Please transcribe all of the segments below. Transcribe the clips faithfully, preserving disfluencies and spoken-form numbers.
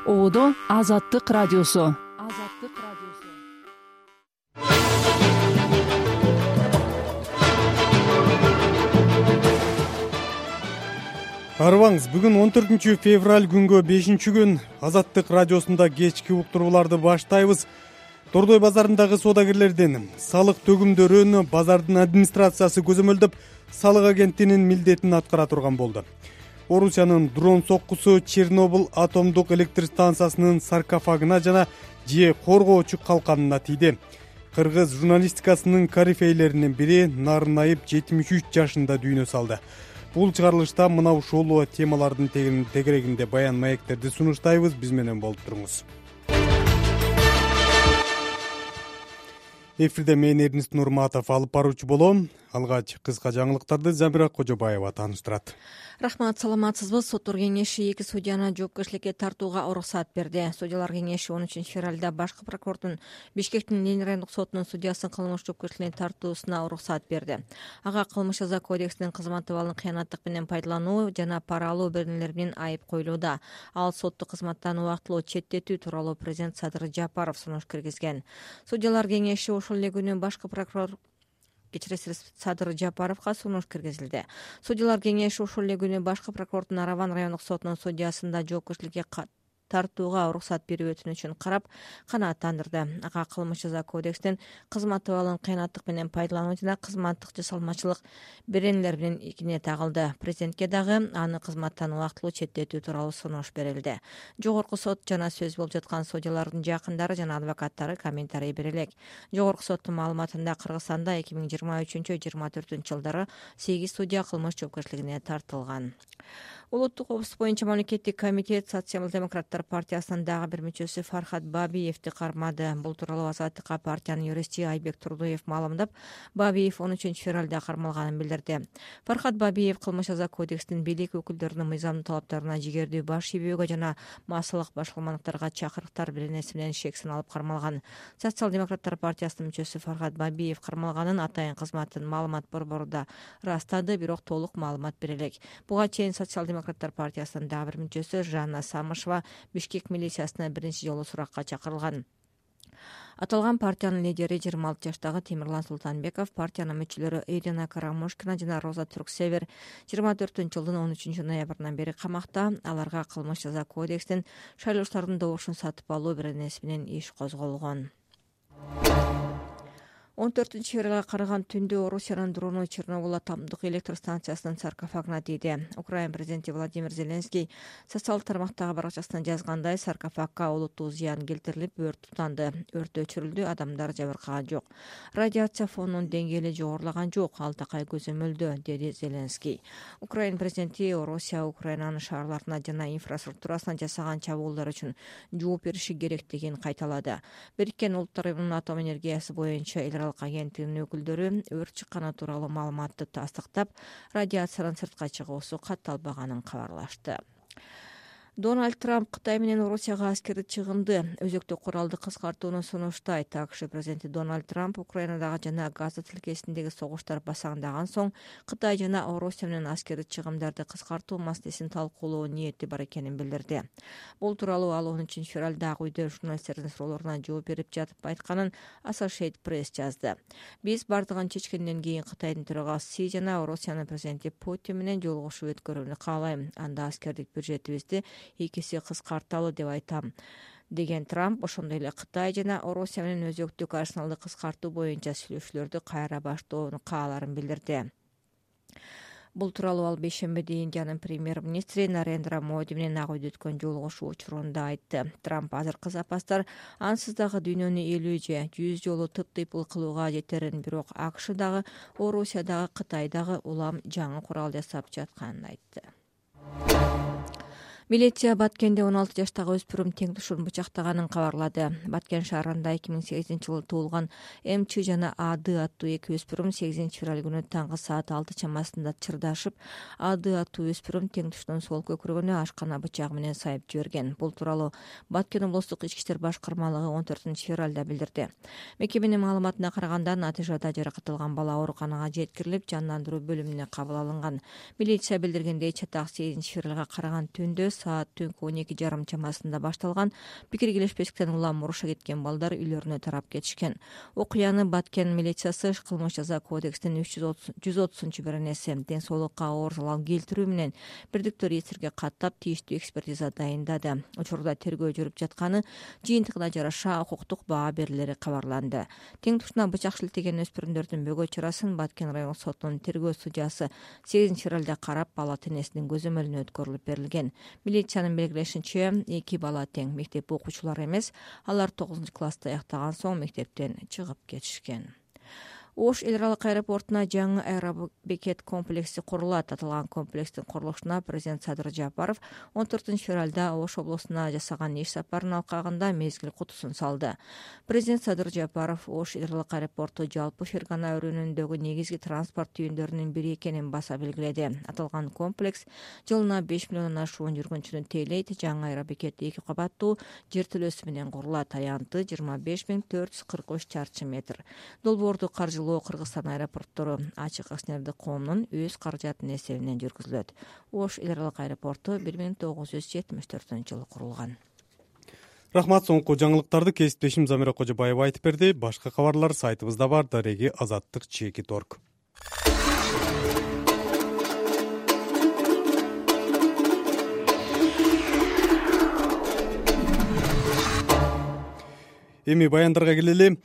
Оодо Азаттык радиосу. Азаттык радиосу. Арыбаңыз, бүгүн он төртүнчү февраль күнгө бешинчи күн Азаттык радиосунда кечки уктурууларды баштайбыз. Тордой базарындагы соодагерлердин салык төгүмдөрүн базардын администрациясы көзөмөлдөп, салык агенттигинин милдетин аткара турган болду. Орусиянын дрон соккусу Чернобыль атомдук электр станциясынын саркофагына жана же коргоочу калканына тийди. Кыргыз журналистикасынын корифейлеринин бири Нарынаев жетимиш үч жашында дүйнө салды. Бул чыгарылышта мына ушул темалардын тегерегинде баян маектерди сунуштайбыз. Биз менен болуп туруңуз. Эфирде мен Эрнест Нурматов алып баруучу болом. Алгач кыска жаңылыктарды Замира Кожобаева тааныштырат. Рахмат, саламатсызбы? Соттор кеңеши эки судьяны жоопкерчиликке тартууга уруксат берди. Судьялар кеңеши он үчүнчү февралда башкы прокурордун Бишкектин Ленин райондук сотунун судьясын кылмыш жоопкерчиликке тартуусуна уруксат берди. Ага кылмыш жаза кодексинин кызмат абалын кыянаттык менен пайдалануу жана пара алуу беренелери менен айып коюлууда. Ал соттук кызматтан убактылуу четтетүү тууралуу президент Садыр Жапаров сунуш киргизген. Судьялар кеңеши ошол эле күнү башкы прокурор Кечиресиз Садыр Жапаровго сунуш киргизилди. Судьялар кеңеши ошол эле күнү башкы прокурордун Араван райондук сотунун судьясында жоопкерчиликке тартууга уруксат берүү өтүнүчүн карап канааттандырды. Ага кылмыш жаза кодексинин кызмат абалын кыянаттык менен пайдалануу жана кызматтык жасалмачылык беренелер менен ийгине тагылды. Президентке дагы аны кызматтан убактылуу четтетүү тууралуу сунуш берилди. Жогорку сот жана сөз болуп жаткан судьялардын жакындары жана адвокаттары комментарий бере элек. Жогорку соттун маалыматында Кыргызстанда эки миң жыйырма үчүнчү жыйырма төртүнчү жылдары сегиз судья кылмыш жоопкерчилигине тартылган. Улуттук коопсуздук боюнча мамлекеттик комитет Социал-демократтар партиясынын дагы бир мүчөсү Фархат Бабиевди кармады. Бул тууралуу Азаттыкка партиянын юристи Айбек Турдуев маалымдап, Бабиев он үчүнчү февралда кармалганын билдирди. Фархат Бабиев кылмыш жаза кодексинин бийлик өкүлдөрүнүн мыйзамдуу талаптарына жигердүү баш ийбөөгө жана массалык башкармалыктарга чакырыктар беренеси менен шек саналып кармалган. Социал-демократтар партиясынын мүчөсү Фархат Бабиев кармалганын атайын кызматтын маалымат борбору ырастады, бирок толук маалымат бере элек. Буга чейин Социал-демократтар партиясынын дагы бир мүчөсү Жанна Самышева Бишкек милициясына биринчи жолу суракка чакырылган. Аталган партиянын лидери жыйырма алты жаштагы Темирлан Султанбеков, партиянын мүчөлөрү Ирина Карамушкина жана Роза Турксевер жыйырма төртүнчү жылдын он үчүнчү ноябрынан бери камакта. Аларга кылмыш жаза кодексинин шайлоочулардын добушун сатып алуу беренеси менен иш козголгон. он төртүнчү февралга караган түндө Орусиянын дрону Чернобыль атомдук электр станциясынын саркофагына тийди. Украина президенти Владимир Зеленский социалдык тармактагы баракчасына жазгандай, саркофагга олуттуу зыян келтирилип, өрт тутанды. Өрт өчүрүлдү, адамдар жабыркаган жок. Радиация фонунун деңгээли жогорулаган жок, ал такай көзөмөлдө, деди Зеленский. Украина президенти Орусия Украинанын шаарларына жана инфраструктурасына жасаган чабуулдар үчүн жооп бериши керектигин кайталады. Бириккен Улуттар Уюмунун атом энергиясы боюнча агенттигинин өкүлдөрү өрт чыкканы тууралуу маалыматты тастыктап, радиациянын сыртка чыгуусу катталбаганын кабарлашты. Дональд Трамп Кытай менен Орусияга аскердик чыгымды, өзөктүк куралды кыскартууну сунуштайт. АКШ президенти Дональд Трамп Украинадагы жана Газа тилкесиндеги согуштар басаңдаган соң Кытай жана Орусия менен аскердик чыгымдарды кыскартуу маселесин талкуулоо ниети бар экенин билдирди. Бул тууралуу ал он үчүнчү февралдагы үйдө журналисттердин суроолоруна жооп берип жатып айтканын Associated Press жазды. Биз бардыгын чечкенден кийин Кытайдын төрагасы Си жана Орусиянын президенти Путин менен жолугушуу өткөрүүнү каалайм. Анда аскердик бюджетибизди экиси кыскарталы деп айтам, деген Трамп. Ошондой эле Кытай жана Орусия менен өзөктүк арсеналды кыскартуу боюнча сүйлөшүүлөрдү кайра баштоону кааларын билдирди. Бул тууралуу ал бейшембиде Индиянын премьер-министри Нарендра Моди менен ак үйдө өткөн жолугушуу учурунда айтты. Трамп азыркы запастар ансыз дагы дүйнөнү элүү же жүз жолу тып-тыйпыл кылууга жетерин, бирок АКШ дагы, Орусия дагы, Кытай дагы улам жаңы курал жасап жатканын айтты. Милиция Баткенде он алты жаштагы өспүрүм теңдушун бычактаганын кабарлады. Баткен шаарында эки миң сегизинчи жылы туулган МЧ жана АД аттуу эки өспүрүм сегизинчи февраль күнү таңкы саат алты чамасында чырдашып, АД аттуу өспүрүм теңдушунун сол көкүрөгүнө ашкана бычагы менен сайып жиберген. Бул тууралуу Баткен облустук ички иштер башкармалыгы он төртүнчү февралда билдирди. Мекеменин маалыматына караганда, натыйжада жаракат алган бала ооруканага жеткирилип, жандандыруу бөлүмүнө кабыл алынган. Милиция билдиргендей, чатак сегизинчи февралга караган түндө саат түнкү он эки жарым чамасында башталган. Пикир келишпестиктен улам мурушка кеткен балдар үйлөрүнө тарап кетишкен. Окуяны Баткен милициясы кылмыш жаза кодексинин жүз отузунчу беренеси ден соолукка оор залал келтирүү менен бирдиктүү реестрге каттап тийиштүү экспертиза дайындады. Учурда тергөө жүрүп жатканы, жыйынтыгына жараша укуктук баа берилери кабарланды. Тең тушуна бычак шилтеген өспүрүмдөрдүн бөгөө чарасын Баткен райондук сотунун тергөө судьясы сегизинчи февралда карап, бала тенесинин көзөмөлүнө өткөрүлүп берилген. Милициянын белгилешинче, эки бала тең мектеп окуучулары эмес, алар тогузунчу класста аяктаган соң мектептен чыгып кетишкен. Ош эл аралык аэропортуна жаңы аэробекет комплекси курулат. Аталган комплекстин курулушуна президент Садыр Жапаров он төртүнчү февралда Ош облусуна жасаган иш сапарынын алкагында мезгил кутусун салды. Президент Садыр Жапаров Ош эл аралык аэропорту жалпы Фергана өрөөнүндөгү негизги транспорт түйүндөрүнүн бири экенин баса белгиледи. Аталган комплекс жылына беш миллиондон ашуун жүргүнчүнү тейлейт. Жаңы аэробекет эки кабаттуу жертөлөсү менен курулат. Аянты жыйырма беш миң төрт жүз кырк үч чарчы метр. Долбоорду каржылоо Кыргызстан аэропорттору ачык акционердик коомунун өз каражатынын эсебинен жүргүзүлөт. Ош эл аралык аэропорту бир миң тогуз жүз жетимиш төртүнчү жылы курулган. Рахмат, соңку жаңылыктарды кесиптешим Замира Кожобаева айтып берди. Башка кабарлар сайтыбызда бар. Дареги азаттык чеки торг. Эми баяндарга келели.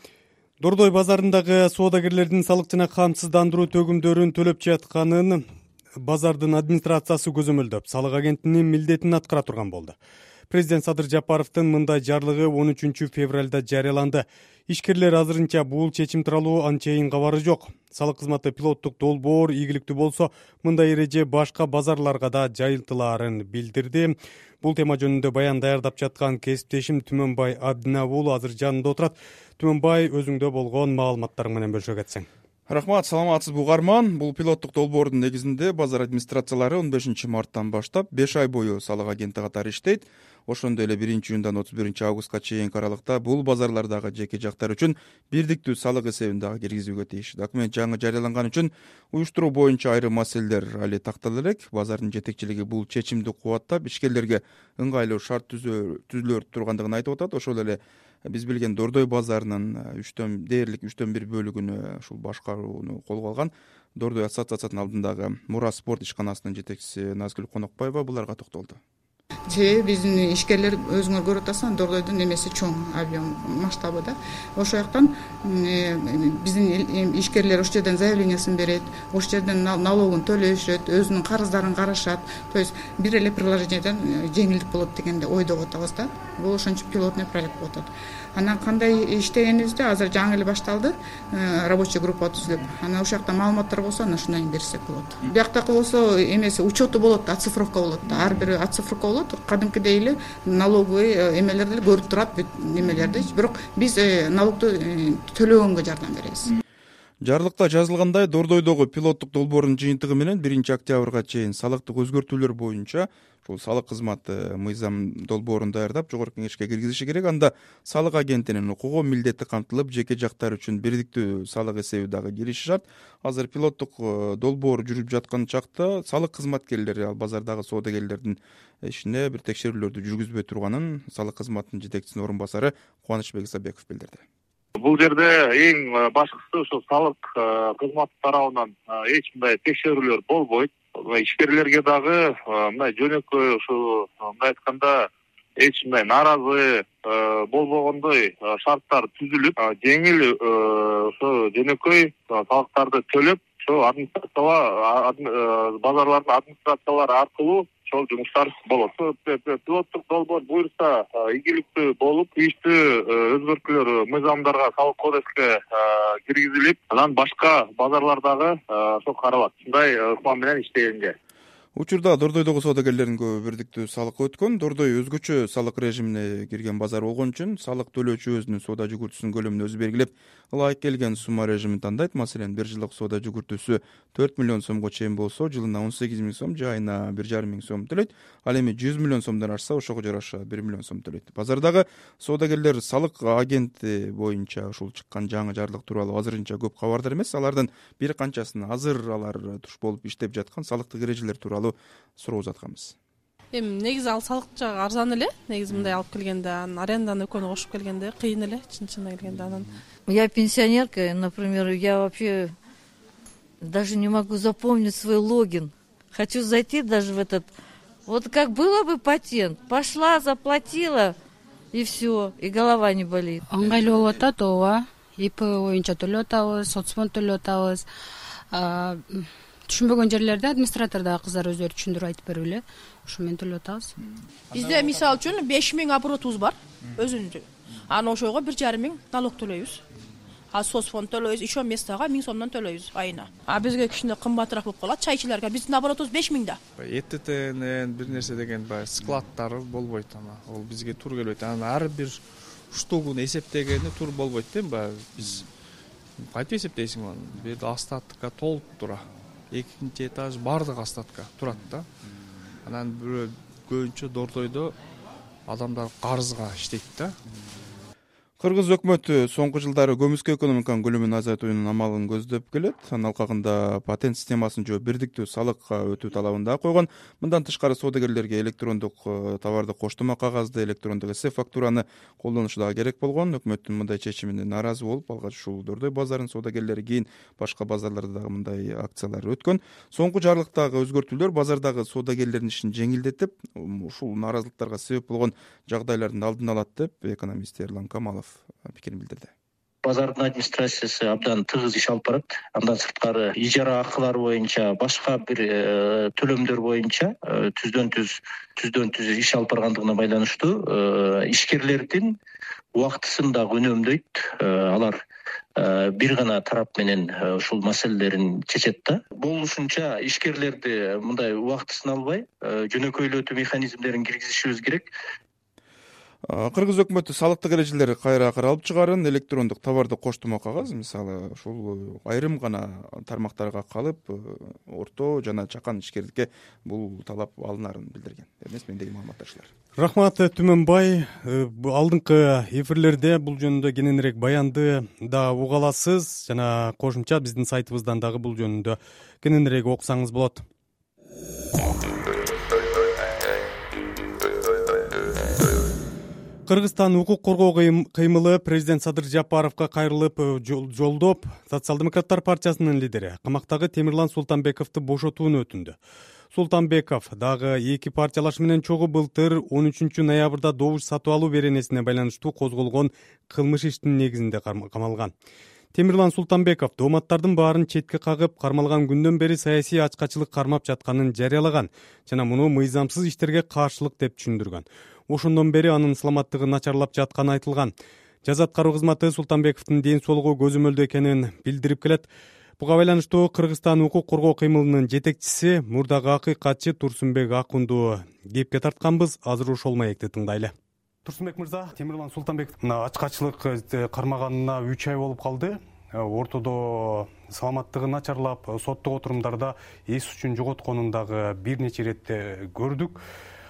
Дордой базарындагы соодагерлердин салык жана камсыздандыруу төгүмдөрүн төлөп жатканын базардын администрациясы көзөмөлдөп, салык агентинин милдетин аткара турган болду. Президент Садыр Жапаровдун мындай жарлыгы он үчүнчү февралда жарыяланды. Ишкерлер азырынча бул чечим тууралуу анчейин кабары жок. Салык кызматы пилоттук долбоор ийгиликтүү болсо, мындай эреже башка базарларга да жайылтылаарын билдирди. Бул тема жөнүндө баян даярдап жаткан кесиптешим Түмөнбай Абдинаб уулу азыр жанында отурат. Түмөнбай, өзүңдө болгон маалыматтарың менен бөлүшө кетсең. Рахмат, саламатсызбы угарман. Бул пилоттук долбоордун негизинде базар администрациялары он бешинчи марттан баштап беш ай бою салык агенти катары иштейт. Ошондой эле биринчи июндан отуз биринчи августка чейинки аралыкта бул базарлардагы жеке жактар үчүн бирдиктүү салык эсебин дагы киргизүүгө тийиш. Документ жаңы жарыяланган үчүн уюштуруу боюнча айрым маселелер али тактала элек. Базардын жетекчилиги бул чечимди кубаттап, ишкерлерге ыңгайлуу шарт түзүлө тургандыгын айтып атат. Ошол эле биз билген Дордой базарынын үчтөн дээрлик үчтөн бир бөлүгүнө ушул башкарууну колго алган Дордой ассоциациясынын алдындагы Мура спорт ишканасынын жетекчиси Назгүл Конокбаева буларга токтолду. Себеби биздин ишкерлер өзүңөр көрүп атасыңар, Дордойдун эмеси чоң, объем масштабы да. Ошол жактан биздин ишкерлер ошол жерден заявлениясын берет, ошол жерден налогун төлөшөт, өзүнүн карыздарын карашат. То есть бир эле приложениеден жеңилдик болот дегенде ойдоп атабыз да. Бул ошончо пилотный проект болуп атат. Анан кандай иштегенибизде азыр жаңы эле башталды, рабочий группа түзүлүп. Анан ошол жакта маалыматтар болсо, анан ушундай берсек болот. Бияктакы болсо эмеси учету болот, оцифровка болот. Ар бир оцифровка болот. Кадимкидей эле налоговый эмелерди көрүп турат, эмелерди. Бирок биз налогду төлөгөнгө жардам беребиз. Жарлыкта жазылгандай, Дордойдогу пилоттук долбоордун жыйынтыгы менен биринчи октябрга чейин салыктык өзгөртүүлөр боюнча ушул салык кызматы мыйзам долбоорун даярдап жогорку кеңешке киргизиши керек. Анда салык агентинин укугу, милдети камтылып, жеке жактар үчүн бирдиктүү салык эсеби дагы кириши шарт. Азыр пилоттук долбоор жүрүп жаткан чакта салык кызматкерлери, ал базардагы соодагерлердин ишине бир текшерүүлөрдү жүргүзбөй турганын салык кызматынын жетекчисинин орун басары Кубанычбек Исабеков билдирди. Бул жерде эң башкысы ошо салык кызматы тарабынан эч кандай текшерүүлөр болбойт. Ишкерлерге дагы мындай жөнөкөй ушу мындай айтканда эч кандай нааразы болбогондой шарттар түзүлүп, жеңил ошо жөнөкөй салыктарды төлөп, ошо администрациялар базарлардын администрациялары аркылуу ошол жумуштар болот. Пилоттук долбоор буюрса ийгиликтүү болуп, тийиштүү өзгөртүүлөр мыйзамдарга, салык кодекске киргизилип, анан башка базарлардагы ошо каралат. Ушундай план менен иштегенге. Учурда Дордойдогу соодагерлердин көбү бирдиктүү салыкка өткөн. Дордой өзгөчө салык режимине кирген базар болгон үчүн салык төлөөчү өзүнүн соода жүгүртүүсүнүн көлөмүн өзү белгилеп, ылайык келген сумма режимин тандайт. Маселен, бир жылдык соода жүгүртүүсү төрт миллион сомго чейин болсо, жылына он сегиз миң сом же айына бир жарым миң сом төлөйт. Ал эми жүз миллион сомдон ашса, ошого жараша бир миллион сом төлөйт. Базардагы соодагерлер салык агенти боюнча ушул чыккан жаңы жарлык тууралуу азырынча көп кабардар эмес. Алардын бир канчасын азыр алар туш болуп иштеп жаткан салыктык эрежелер тууралуу суроо узатканбыз. эми негизи ал салык жагы арзан эле, негизи мындай алып келгенде, анан аренданы экөөнү кошуп келгенде кыйын эле, чын-чынына келгенде. Анан я пенсионерка, например, я вообще даже не могу запомнить свой логин. Хочу зайти даже в этот. Вот как было бы патент, пошла, заплатила и все, и голова не болит. Ыңгайлуу болуп атат, ооба. ИП боюнча төлөп атабыз, соцфонд төлөп атабыз. Түшүнбөгөн жерлерде администратордагы кыздар өздөрү түшүндүрүп айтып берип эле, ошо менен төлөп атабыз. Бизде мисалы үчүн беш миң оборотубуз бар өзүнчө. Анан ошого бир жарым миң налог төлөйбүз. А соцфонд төлөйбүз, ишо местага миң сомдон төлөйбүз айына. А бизге кичине кымбатыраак болуп калат чайчыларга. Биздин оборотубуз беш миң да. ЭТТнен бир нерсе деген баягы складдары болбойт, ана. Ол бизге туура келбейт. Анан ар бир штугун эсептегени туура болбойт да, баягы биз кантип эсептейсиң аны? Бир остатка толуп тура. Экинчи этаж бардык остатка турат да. Анан бирөө көбүнчө Дордойдо адамдар карызга иштейт да. Кыргыз өкмөтү соңку жылдары көмүскө экономиканын көлөмүн азайтуунун амалын көздөп келет. Анын алкагында патент системасын жөө бирдиктүү салыкка өтүү талабын да койгон. Мындан тышкары соодагерлерге электрондук товарды коштомо кагазды, электрондук эс фактураны колдонушу дагы керек болгон. Өкмөттүн мындай чечимине нааразы болуп, алгач ушул Дордой базарынын соодагерлери кийин башка базарларда дагы мындай акциялар өткөн. Соңку жарлыктагы өзгөртүүлөр базардагы соодагерлердин ишин жеңилдетип, ушул нааразылыктарга себеп болгон жагдайлардын алдын алат деп экономист Эрлан Камалов пикирин билдирди. Базардын администрациясы абдан тыгыз иш алып барат. Андан сырткары ижара акылары боюнча, башка бир төлөмдөр боюнча түздөн түз түздөн түз иш алып баргандыгына байланыштуу ишкерлердин убактысын дагы үнөмдөйт. Алар бир гана тарап менен ушул маселелерин чечет да. Болушунча ишкерлерди мындай убактысын албай, жөнөкөйлөтүү механизмдерин киргизишибиз керек. Кыргыз өкмөтү салыктык эрежелери кайра каралып чыгарын, электрондук товарды коштомо кагаз, мисалы, ушул айрым гана тармактарга калып, орто жана чакан ишкерликке бул талап алынарын билдирген. Эмес, мендеги маалыматтар ушулар. Рахмат Түмөнбай. Алдыңкы эфирлерде бул жөнүндө кененирээк баянды да уга аласыз, жана кошумча биздин сайтыбыздан дагы бул жөнүндө кененирээк окусаңыз болот. Кыргызстан укук коргоо кыймылы президент Садыр Жапаровго кайрылып жолдоп, Социал-демократтар партиясынын лидери камактагы Темирлан Султанбековду бошотууну өтүндү. Султанбеков дагы эки партиялаш менен чогуу былтыр он үчүнчү ноябрда добуш сатып алуу беренесине байланыштуу козголгон кылмыш иштин негизинде камалган. Темирлан Султанбеков дооматтардын баарын четке кагып, кармалган күндөн бери саясий ачкачылык кармап жатканын жарыялаган жана муну мыйзамсыз иштерге каршылык деп түшүндүргөн. Ошондон бери анын саламаттыгы начарлап жатканы айтылган. Жаза аткаруу кызматы Султанбековдун ден соолугу көзөмөлдө экенин билдирип келет. Буга байланыштуу Кыргызстан укук коргоо кыймылынын жетекчиси, мурдагы акыйкатчы Турсунбек Акунду кепке тартканбыз. Азыр ошол маекти тыңдайлы. Турсунбек мырза, Темирлан Султанбеков мына ачкачылык кармаганына үч ай болуп калды. Ортодо саламаттыгы начарлап, соттук отурумдарда эс үчүн жоготконун дагы бир нече иретте көрдүк.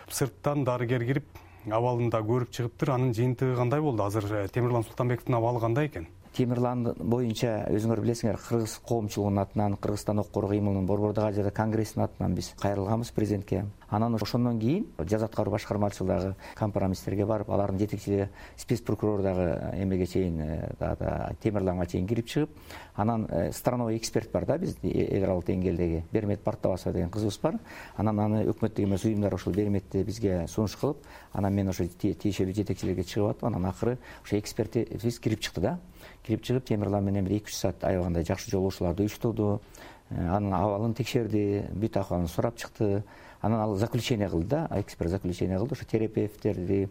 Сырттан дарыгер кирип, абалында көрүп чыгыптыр. Анын жыйынтыгы кандай болду? Азыр Темирлан Султанбековдун абалы кандай экен? Темирлан боюнча өзүңөр билесиңер, кыргыз коомчулугунун атынан, Кыргызстан укук коргоо кыймылынын Борбордук Азия конгрессинин атынан биз кайрылганбыз президентке. Анан ошондон кийин жаза аткаруу башкармачылыгы дагы компромисстерге барып, алардын жетекчилиги спец прокурор дагы эмеге чейин, Темирланга чейин кирип чыгып, анан страновой эксперт бар да, биздин эл аралык деңгээлдеги Бермет Бартабасова деген кызыбыз бар. Анан аны өкмөттүк эмес уюмдар ошол Берметти бизге сунуш кылып, анан мен ошо тиешелүү жетекчилерге чыгып атып, анан акыры ошо экспертибиз кирип чыкты да. Кирип чыгып, Темирлан менен бир эки үч саат аябагандай жакшы жолугушууларды уюштурду. Анын абалын текшерди, бүт акыбалын сурап чыкты. Анан ал заключение кылды да, эксперт заключение кылды. Ошо терапевттерди,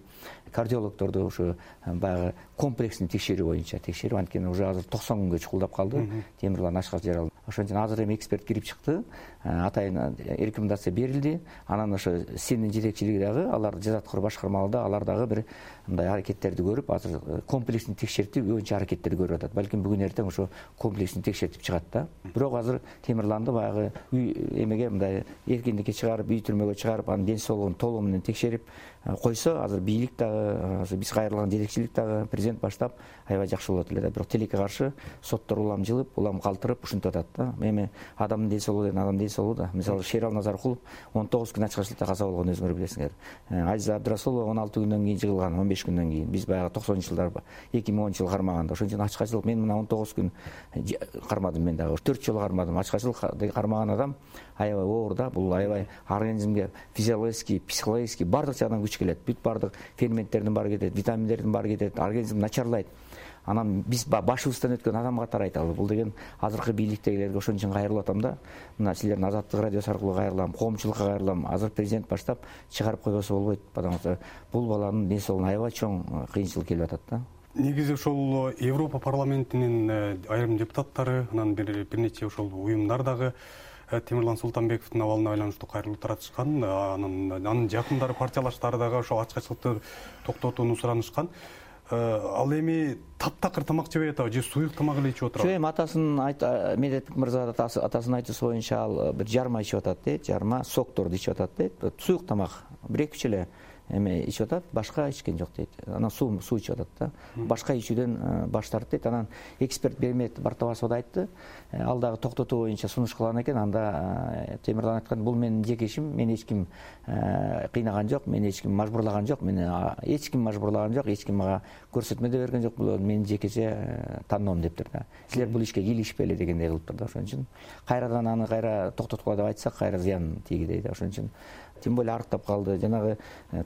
кардиологдорду ошо баягы комплексный текшерүү боюнча текшерип, анткени уже азыр токсон күнгө чукулдап калды. Темирлан ашкат жараланып. Ошон үчүн азыр эми эксперт кирип чыкты. Атайын рекомендация берилди. Анан ошо синдин жетекчилиги дагы, алар жаза аткаруу башкармалыгында алар дагы бир мындай аракеттерди көрүп, азыр комплексный текшертип, көбүнчө аракеттерди көрүп атат. Балким бүгүн эртең ошо комплексный текшертип чыгат да. Бирок азыр Темирланды баягы үй эмеге мындай эркиндикке чыгарып, үй түрмөгө чыгарып, анын ден соолугун толугу менен текшерип, койсо азыр бийлик дагы азыр биз кайрылган жетекчилик дагы президент баштап аябай жакшы болот эле да. Бирок тилекке каршы соттор улам жылып, улам калтырып ушинтип атат да. Эми адамдын дел соолугу деген адамдын дел соолугу да. Мисалы Шерал Назаркулов он тогуз күн ачкачылыкта каза болгон, өзүңөр билесиңер. Азиза Абдрасулова он алты күндөн кийин жыгылган, он беш күндөн кийин. Биз баягы токсонунчу жылдар эки миң онунчу жылы кармаганда. Ошон үчүн ачкачылык, мен мына он тогуз күн кармадым, мен дагы төрт жолу кармадым. Ачкачылык кармаган адам аябай оор да. Бул аябай организмге физиологический, психологический баардык жагынан күч келет. Бүт баардык ферменттердин баары кетет, витаминдердин баары кетет, организм начарлайт. Анан биз башыбыздан өткөн адамга тарайт ал. Бул деген азыркы бийликтегилерге ошон үчүн кайрылып атам да. Мына силердин Азаттык радиосу аркылуу кайрылам, коомчулукка кайрылам. Азыр президент баштап чыгарып койбосо болбойт, потому что бул баланын ден соолугуна аябай чоң кыйынчылык келип атат да. Негизи ошол Европа парламентинин айрым депутаттары, анан бир нече ошол уюмдар дагы Темирлан Султанбековдун абалына байланыштуу кайрылуу таратышкан. Анан анын жакындары, партиялаштары дагы ошол ачкачылыкты токтотууну суранышкан. Ал эми таптакыр тамак жебей атабы же суюк тамак эле ичип отурабы? Жок, эми атасын Медетбек мырза атасынын айтуусу боюнча ал бир жарма ичип атат дейт, жарма сокторду ичип атат дейт. Суюк тамак бир эки үч эле эме ичип атат, башка ичкен жок дейт. Анан суу суу ичип атат да. Башка ичүүдөн баш тартты дейт. Анан эксперт Бермет Бартабасов да айтты. Ал дагы токтотуу боюнча сунуш кылган экен. Анда Темирлан айткан, бул менин жеке ишим, мени эч ким кыйнаган жок, мени эч ким мажбурлаган жок, мени эч ким мажбурлаган жок, эч ким мага көрсөтмө да берген жок, бул менин жекече тандоом дептир да. Силер бул ишке кийлигишпели дегендей кылыптыр да. Ошон үчүн кайрадан аны кайра токтоткула деп айтсак, кайра зыян тийгидей да. Ошон үчүн тем более арыктап калды. Жанагы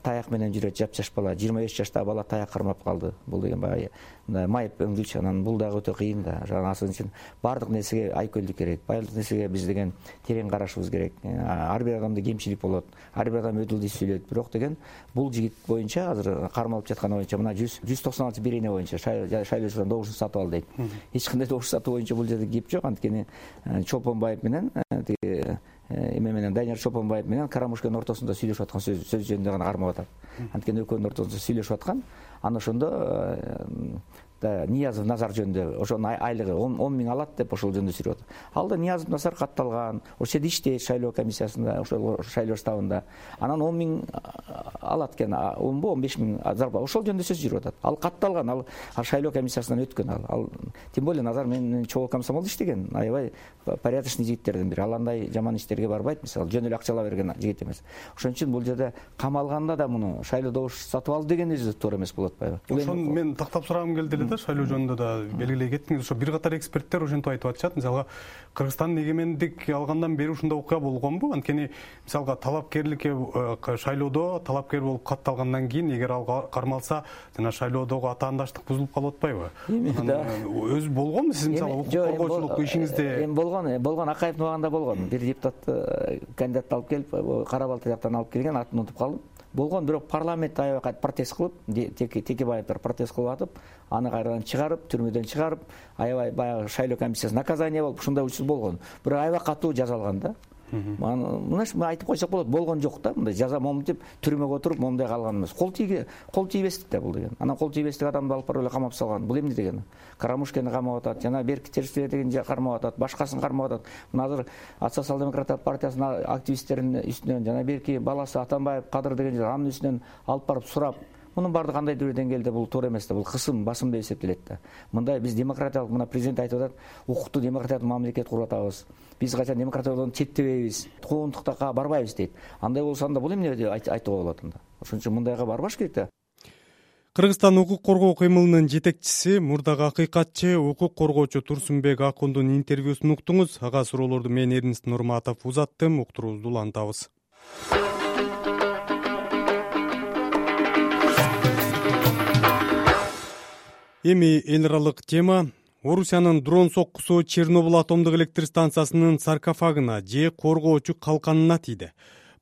таяк менен жүрөт жапжаш бала, жыйырма беш жаштагы бала таяк кармап калды. Бул деген баягы мындай майып өңдүлчү, анан бул дагы өтө кыйын да. Ошон үчүн баардык нерсеге айкөлдүк керек, баардык нерсеге биз деген терең карашыбыз керек. Ар бир адамда кемчилик болот, ар бир адам өдүлдү сүйлөйт. Бирок деген бул жигит боюнча азыр кармалып жатканы боюнча мына жүз токсон алты бирине боюнча шайлоочудан добушун сатып ал дейт. Эч кандай добуш сатуу боюнча бул жерде кеп жок. Анткени Чолпонбаев менен эме менен Данияр Чолпонбаев менен Карамушканын ортосунда сүйлөшүп аткан сөз сөз жөнүндө гана кармап атат. Анткени экөөнүн ортосунда сүйлөшүп аткан. Анан ошондо Ниязов Назар жөнүндө ошонун айлыгы он миң алат деп ошол жөнүндө сүйлөп атат. Ал да Ниязов Назар катталган, ошол жерде иштейт шайлоо комиссиясында, ошол шайлоо штабында. Анан он миң алат экен, он беш миң зарплата. Ошол жөнүндө сөз жүрүп атат. Ал катталган, ал шайлоо комиссиясынан өткөн ал. Ал тем более Назар менен чогуу комсомолдо иштеген, аябай порядочный жигиттердин бири. Ал андай жаман иштерге барбайт, мисалы жөн эле акча ала берген жигит эмес. Ошон үчүн бул жерде камалганда да муну шайлоо добуш сатып алды деген өзү туура эмес болот атпайбы? Ошон мен тактап сурагым келди эле да, шайлоо жөнүндө да белгилей кеттиңиз. Ошо бир катар эксперттер ошентип айтып атышат. Мисалга Кыргызстандын эгемендик алгандан бери ушундай окуя болгонбу? Анткени мисалга талапкерликке шайлоодо талапкер болуп катталгандан кийин эгер ал кармалса, жана шайлоодогу атаандаштык бузулуп калып атпайбы? Өзү болгонбу сиз мисалы укук коргоочулук ишиңизде? Эми болгон, болгон Акаевдин убагында болгон. Бир депутат кандидатты алып келип, Кара Балта жактан алып келген, атын унутуп калдым. Болгон, бирок парламент аябай кайра протест кылып, Текебаевдер протест кылып атып, аны кайрадан чыгарып, түрмөдөн чыгарып, аябай баягы шайлоо комиссиясы наказание болуп, ушундай учур болгон. Бирок аябай катуу жазалган да. Мына айтып койсок болот, болгон жок да. Мындай жаза момунтип түрмөгө отуруп, момундай калган эмес. Кол тийге, кол тийбестик да бул деген. Анан кол тийбестик адамды алып барып эле камап салган. Бул эмне деген? Карамушкени камап атат, жана Берки Терсбе деген кармап атат, башкасын кармап атат. Мына азыр Социал-демократтар партиясынын активисттеринин үстүнөн жана Берки баласы Атамбаев Кадыр деген анын үстүнөн алып барып сурап, мунун баардыгы кандайдыр бир деңгээлде бул туура эмес да, бул кысым, басым деп эсептелет да. Мындай биз демократиялык, мына президент айтып атат, укуктуу демократиялык мамлекет куруп атабыз. Биз качан демократиядан четтебейбиз, куугунтуктакка барбайбыз дейт. Андай болсо анда бул эмне деп айтууга болот анда. Ошон үчүн мындайга барбаш керек да. Кыргызстан укук коргоо кыймылынын жетекчиси, мурдагы акыйкатчы укук коргоочу Турсунбек Акундун интервьюсун уктуңуз. Ага суроолорду мен Эрнест Нурматов узаттым, уктуруубузду улантабыз. Эми эл аралык тема. Орусиянын дрон соккусу Чернобыль атомдук электр станциясынын саркофагына же коргоочу калканына тийди.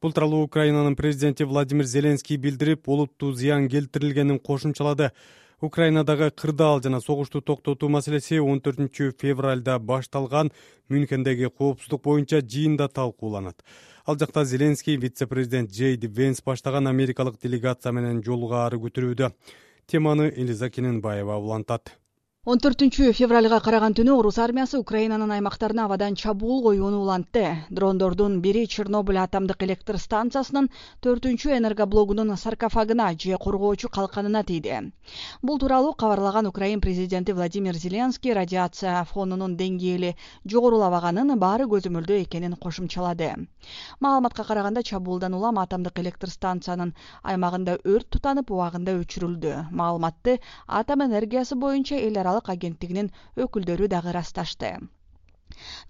Бул тууралуу Украинанын президенти Владимир Зеленский билдирип, олуттуу зыян келтирилгенин кошумчалады. Украинадагы кырдаал жана согушту токтотуу маселеси он төртүнчү февралда башталган Мюнхендеги коопсуздук боюнча жыйында талкууланат. Ал жакта Зеленский вице-президент Джейди Венс баштаган америкалык делегация менен жолугаары көтөрүүдө. Теманы Элиза Кененбаева улантат. он төртүнчү февралга караган түнү орус армиясы Украинанын аймактарына абадан чабуул коюуну улантты. Дрондордун бири Чернобыль атомдук электр станциясынын төртүнчү энергоблогунун саркофагына же коргоочу калканына тийди. Бул тууралуу кабарлаган Украин президенти Владимир Зеленский радиация фонунун деңгээли жогорулабаганын баары көзөмөлдөө экенин кошумчалады. Маалыматка караганда чабуулдан улам атомдук электр станциянын аймагында өрт тутанып убагында өчүрүлдү. Маалыматты атом энергиясы боюнча эл аралык агенттигинин өкүлдөрү дагы ырасташты.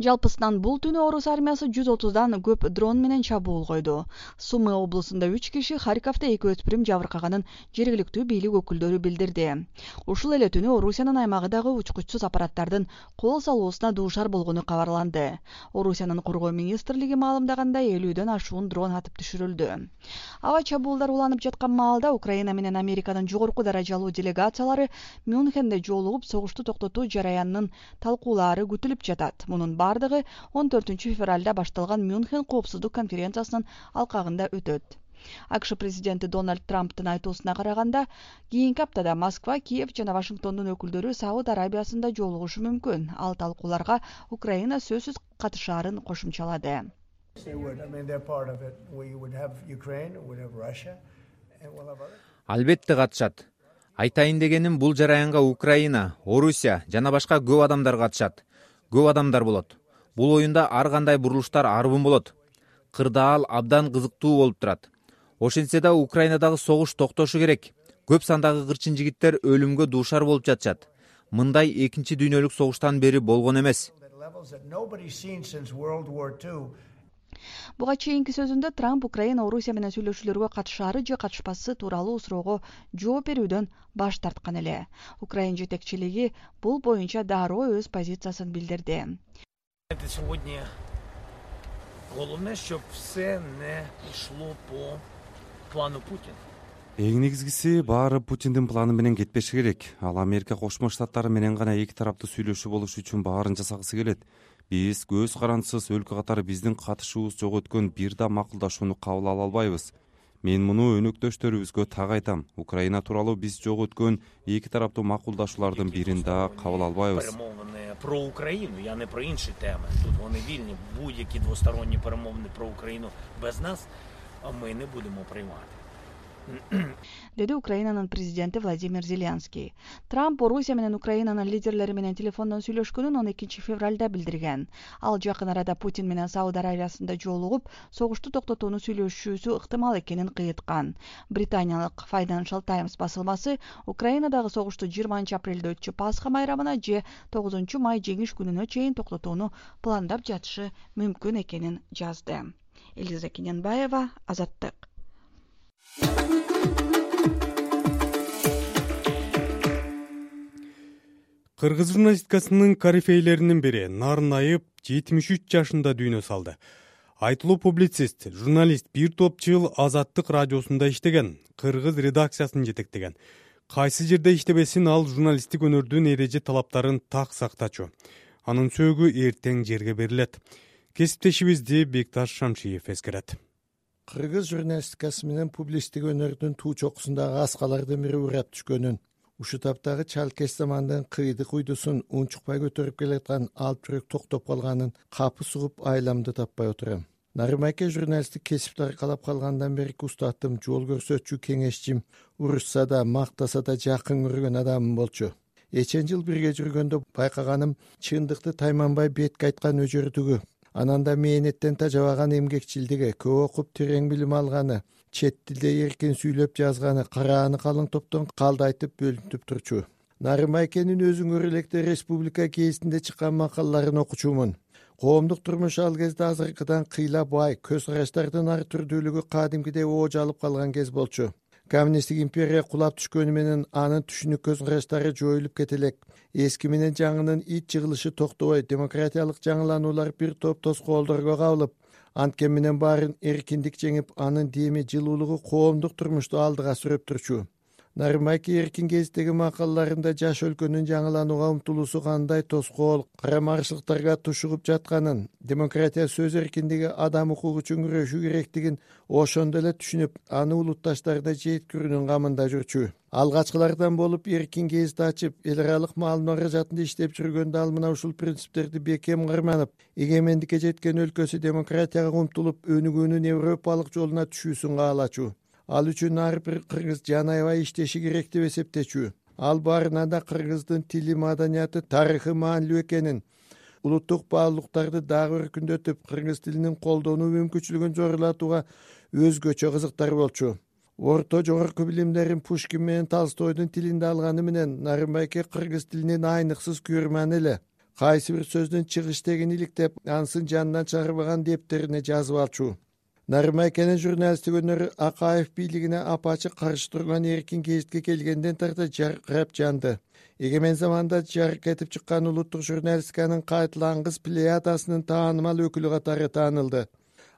Жалпысынан бул түнү орус армиясы жүз отуздан көп дрон менен чабуул койду. Сумы облусунда үч киши, Харьковдо эки өспүрүм жабыркаганын жергиликтүү бийлик өкүлдөрү билдирди. Ушул эле түнү Орусиянын аймагы дагы учкучсуз аппараттардын кол салуусуна дуушар болгону кабарланды. Орусиянын коргоо министрлиги маалымдагандай элүүдөн ашуун дрон атып түшүрүлдү. Аба чабуулдар уланып жаткан маалда Украина менен Американын жогорку даражалуу делегациялары Мюнхенде жолугуп согушту токтотуу жараянынын талкуулаары күтүлүп жатат. Мунун бардыгы он төртүнчү февралда башталган Мюнхен коопсуздук конференциясынын алкагында өтөт. АКШ президенти Дональд Трамптын айтуусуна караганда, кийинки аптада Москва, Киев жана Вашингтондун өкүлдөрү Сауд Арабиясында жолугушу мүмкүн. Ал талкууларга Украина сөзсүз катышаарын кошумчалады. Албетте катышат. Айтайын дегеним, бул жараянга Украина, Орусия жана башка көп адамдар катышат. Көп адамдар болот. Бул оюнда ар кандай бурулуштар арбын болот. Кырдаал абдан кызыктуу болуп турат. Ошентсе да Украинадагы согуш токтошу керек. Көп сандагы кырчын жигиттер өлүмгө дуушар болуп жатышат. Мындай экинчи дүйнөлүк согуштан бери болгон эмес. Буга чейинки сөзүндө Трамп Украина Орусия менен сүйлөшүүлөргө катышаары же катышпасы тууралуу суроого жооп берүүдөн баш тарткан эле. Украин жетекчилиги бул боюнча дароо өз позициясын билдирди. Эң негизгиси баары Путиндин планы менен кетпеши керек. Ал Америка Кошмо Штаттары менен гана эки тараптуу сүйлөшүү болуш үчүн баарын жасагысы келет. Биз көз карандысыз өлкө катары биздин катышуубуз жок өткөн бир да макулдашууну кабыл ала албайбыз. Мен муну өнөктөштөрүбүзгө так айтам. Украина тууралуу биз жок өткөн эки тараптуу макулдашуулардын бирин да кабыл албайбыз. Про Україну, я не про інші теми. Тут вони вільні, будь-які двосторонні перемовини про Україну без нас, а ми не будемо приймати. Деди Украинанын президенти Владимир Зеленский. Трамп Орусия менен Украинанын лидерлери менен телефондон сүйлөшкөнүн он экинчи февралда билдирген. Ал жакын арада Путин менен Сауд Арабиясында жолугуп, согушту токтотууну сүйлөшүүсү ыктымал экенин кыйыткан. Британиялык Financial Times басылмасы Украинадагы согушту жыйырманчы апрелде өтчү Пасха майрамына же тогузунчу май жеңиш күнүнө чейин токтотууну пландап жатышы мүмкүн экенин жазды. Элиза Кененбаева, Азаттык. Кыргыз журналистикасынын корифейлеринин бири Нарынаев жетимиш үч жашында дүйнө салды. Айтылуу публицист, журналист бир топ жыл Азаттык радиосунда иштеген, кыргыз редакциясын жетектеген. Кайсы жерде иштебесин, ал журналисттик өнөрдүн эреже талаптарын так сактачу. Анын сөөгү эртең жерге берилет. Кесиптешибизди Бекташ Шамшиев эскерет. Кыргыз журналистикасы менен публисттик өнөрдүн туу чокусундагы аскалардын бири урап түшкөнүн, ушу таптагы Чалкес замандын кыйдык уйдусун унчукпай көтөрүп келаткан алып жүрөк токтоп калганын капы сугуп айламды таппай отурам. Нарымайке журналисттик кесипти аркалап калгандан берки устатым, жол көрсөтчү, кеңешчим, урушса да, мактаса да жакын көргөн адамым болчу. Эчен жыл бирге жүргөндө байкаганым чындыкты тайманбай бетке айткан өжөрдүгү. Ананда мээнеттен тажабаган эмгекчилдиги, көп окуп терең билим алганы, чет тилде эркин сүйлөп жазганы, карааны калың топтон калдайтып бөлүнүп турчу. Нарымайкенин өзүңөр электе республика гезитинде чыккан макалаларын окучумун. Коомдук турмуш ал кезде азыркыдан кыйла бай, көз караштардын ар түрдүүлүгү кадимкидей ооч алып калган кез болчу. Коммунисттик империя кулап түшкөнү менен анын түшүнүк көз караштары жоюлуп кетелек. Эски менен жаңынын ит жыгылышы токтобой, демократиялык жаңылануулар бир топ тоскоолдорго кабылып, анткен менен баарын эркиндик жеңип, анын деми жылуулугу коомдук турмушту алдыга сүрөп турчу. Нарымбайке эркин гезиттеги макалаларында жаш өлкөнүн жаңыланууга умтулуусу кандай тоскоол, карамарчылыктарга тушугуп жатканын, демократия, сөз эркиндиги, адам укугу үчүн күрөшүү керектигин ошондо эле түшүнүп, аны улутташтарда жеткирүүнүн камында жүрчү. Алгачкылардан болуп эркин гезит ачып, эл аралык маалымат каражатында иштеп жүргөндө ал мына ушул принциптерди бекем карманып, эгемендикке жеткен өлкөсү демократияга умтулуп, өнүгүүнүн европалык жолуна түшүүсүн каалачу. Ал үчүн ар бир кыргыз жан аябай иштеши керек деп эсептечү. Ал баарынан да кыргыздын тили, маданияты, тарыхы маанилүү экенин, улуттук баалуулуктарды дагы өркүндөтүп, кыргыз тилинин колдонуу мүмкүнчүлүгүн зорулатууга өзгөчө кызыктар болчу. Орто жогорку билимдерин Пушкин менен Толстойдун тилинде алганы менен Нарымбайке кыргыз тилинин айныксыз күйөрмани эле. Кайсы бир сөздүн чыгыш тегин иликтеп, анысын жанынан чыгарбаган дептерине жазып алчу. Нарымбайкенин журналисттик өнөрү Акаев бийлигине апачык каршы турган эркин гезитке келгенден тарта жаркырап жанды. Эгемен заманда жарык этип чыккан улуттук журналистиканын кайталангыс плеядасынын таанымал өкүлү катары таанылды.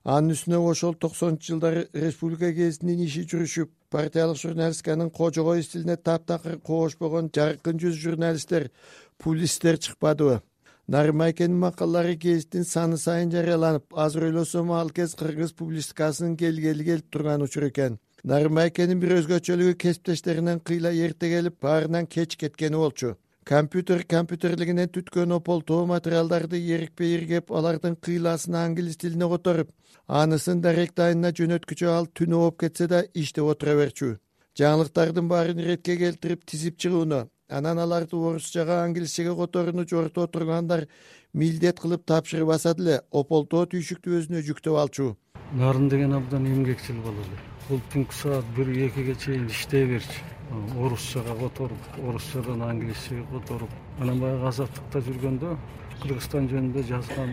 Анын үстүнө ошол токсонунчу жылдары республика гезитинин иши жүрүшүп, партиялык журналистиканын кожогой стилине таптакыр коошпогон жаркын жүз журналисттер, публисттер чыкпадыбы? Нарымбайкенин макалалары гезиттин саны сайын жарыяланып, азыр ойлосом ал кез кыргыз публистикасынын келгели келип турган учур экен. Нарымбайкенин бир өзгөчөлүгү кесиптештеринен кыйла эрте келип, баарынан кеч кеткени болчу. Компьютер компьютерлигинен түткөн ополтоо материалдарды эрикпей иргеп, алардын кыйласын англис тилине которуп, анысын дарек дайына жөнөткүчө ал түнү болуп кетсе да иштеп отура берчү. Жаңылыктардын баарын иретке келтирип тизип чыгууну, анан аларды орусчага, англисчеге которууну жорто тургандар милдет кылып тапшырбаса деле ополтоо түйшүктү өзүнө жүктөп алчу. Нарын деген абдан эмгекчил болот. Бул түнкү саат бир экиге чейин иштей берчү. Орусчага которуп, орусчадан англисчеге которуп. Анан баягы азаттыкта жүргөндө Кыргызстан жөнүндө жазган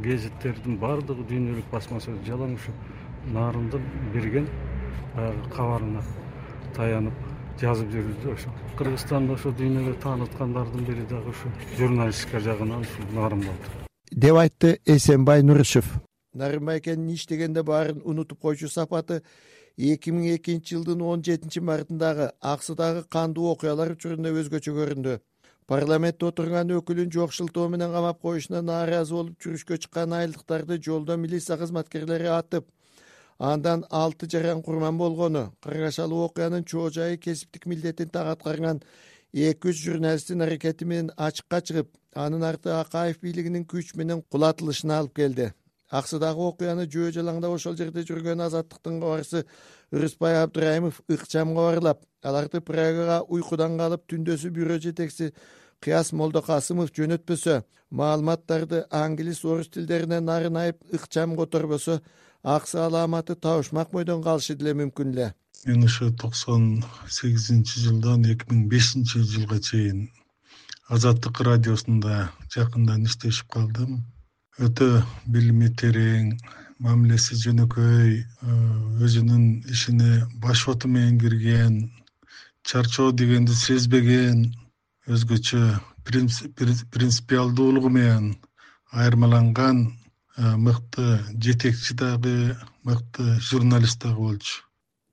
гезиттердин баардыгы дүйнөлүк басмасы жалаң ушу Нарындын берген баягы кабарына таянып жазып жүрдү. Ошо Кыргызстанда ошо дүйнөгө тааныткандардын бири дагы ушу журналистика жагынан ушу Нарын болду, деп айтты Эсенбай Нурышев. Нарымбайкенин иштегенде баарын унутуп койчу сапаты эки миң экинчи жылдын он жетинчи мартындагы Аксыдагы кандуу окуялар учурунда өзгөчө көрүндү. Парламентте отурган өкүлүн жокшултоо менен камап коюшуна нааразы болуп жүрүшкө чыккан айылдыктарды жолдо милиция кызматкерлери атып, андан алты жаран курман болгону, кыргашалуу окуянын чоо жайы кесиптик милдетин так аткарган эки үч журналисттин аракети менен ачыкка чыгып, анын арты Акаев бийлигинин күч менен кулатылышына алып келди. Аксыдагы окуяны жөө жалаңдап ошол жерде жүргөн Азаттыктын кабарчысы Ырысбай Абдырайымов ыкчам кабарлап, аларды Прагага уйкудан калып түндөсү бюро жетекчиси Кыяс Молдокасымов жөнөтпөсө, маалыматтарды англис, орус тилдеринен нарын айып ыкчам которбосо, аксы аламаты табышмак бойдон калышы деле мүмкүн эле. Мен ошо токсон сегизинчи жылдан эки миң бешинчи жылга чейин Азаттык радиосунда жакындан иштешип калдым. Өтө билими терең, мамилеси жөнөкөй, өзүнүн ишине башоту менен кирген, чарчоо дегенди сезбеген, өзгөчө принципиалдуулугу менен айырмаланган мыкты жетекчи дагы, мыкты журналист дагы болчу.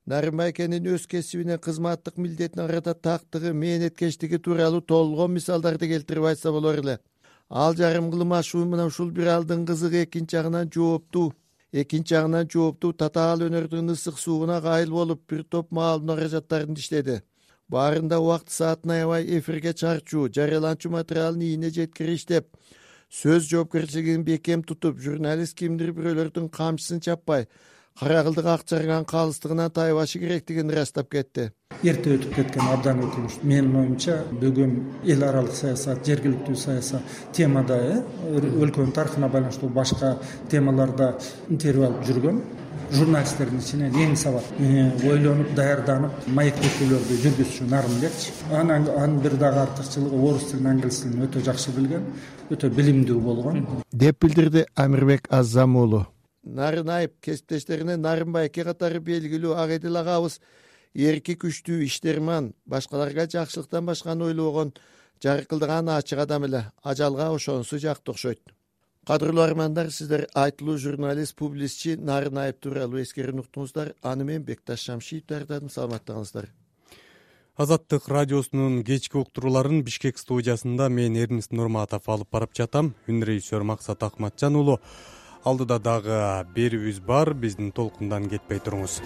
Нарымбайкенин өз кесибине, кызматтык милдетине карата тактыгы, мээнеткечтиги тууралуу толгон мисалдарды келтирип айтса болор эле. Ал жарым кылым ашуу мына ушул бир алдын кызыгы, экинчи жагынан жооптуу, экинчи жагынан жооптуу татаал өнөрдүн ысык сууна кайыл болуп, бир топ маалымат каражаттарын иштеди. Баарында убакыт саатын аябай эфирге чарчуу, жарыяланчу материалын ийине жеткирип иштеп, сөз жоопкерчилигин бекем тутуп, журналист кимдир бирөөлөрдүн камчысын чаппай, кара кылдык ак жарган калыстыгынан тайбашы керектигин ырастап кетти. Эрте өтүп кеткен абдан өкүнүч. Менин оюмча, бүгүн эл аралык саясат, жергиликтүү саясат темада, өлкөнүн тарыхына байланыштуу башка темаларда интервью алып жүргөн журналисттердин ичинен эң сабат, ойлонуп, даярданып, маек көчөлөрдү жүргүзчү Нарымбек. Анан анын бир дагы артыкчылыгы орус тилин, англис тилин өтө жакшы билген, өтө билимдүү болгон, деп билдирди Амирбек Аззам уулу. Нарын айып кесиптештерине Нарымбайке катары белгилүү ак эдил агабыз эрки, күчтүү, иштерман, башкаларга жакшылыктан башканы ойлобогон, жаркылдаган ачык адам эле. Ажалга ошонусу жакты окшойт. Кадырлуу армандар, сиздер айтылуу журналист, публистчи Нарын айып тууралуу эскерүүнү уктуңуздар. Аны мен Бекташ Шамшиев даярдадым. Саламаттыгыңыздар. Азаттык радиосунун кечки уктурууларын Бишкек студиясында мен Эрнис Нурматов алып барып жатам. Үн режиссер Максат Акматжан уулу. Алдыда дагы берүүбүз бар, биздин толкундан кетпей туруңуз.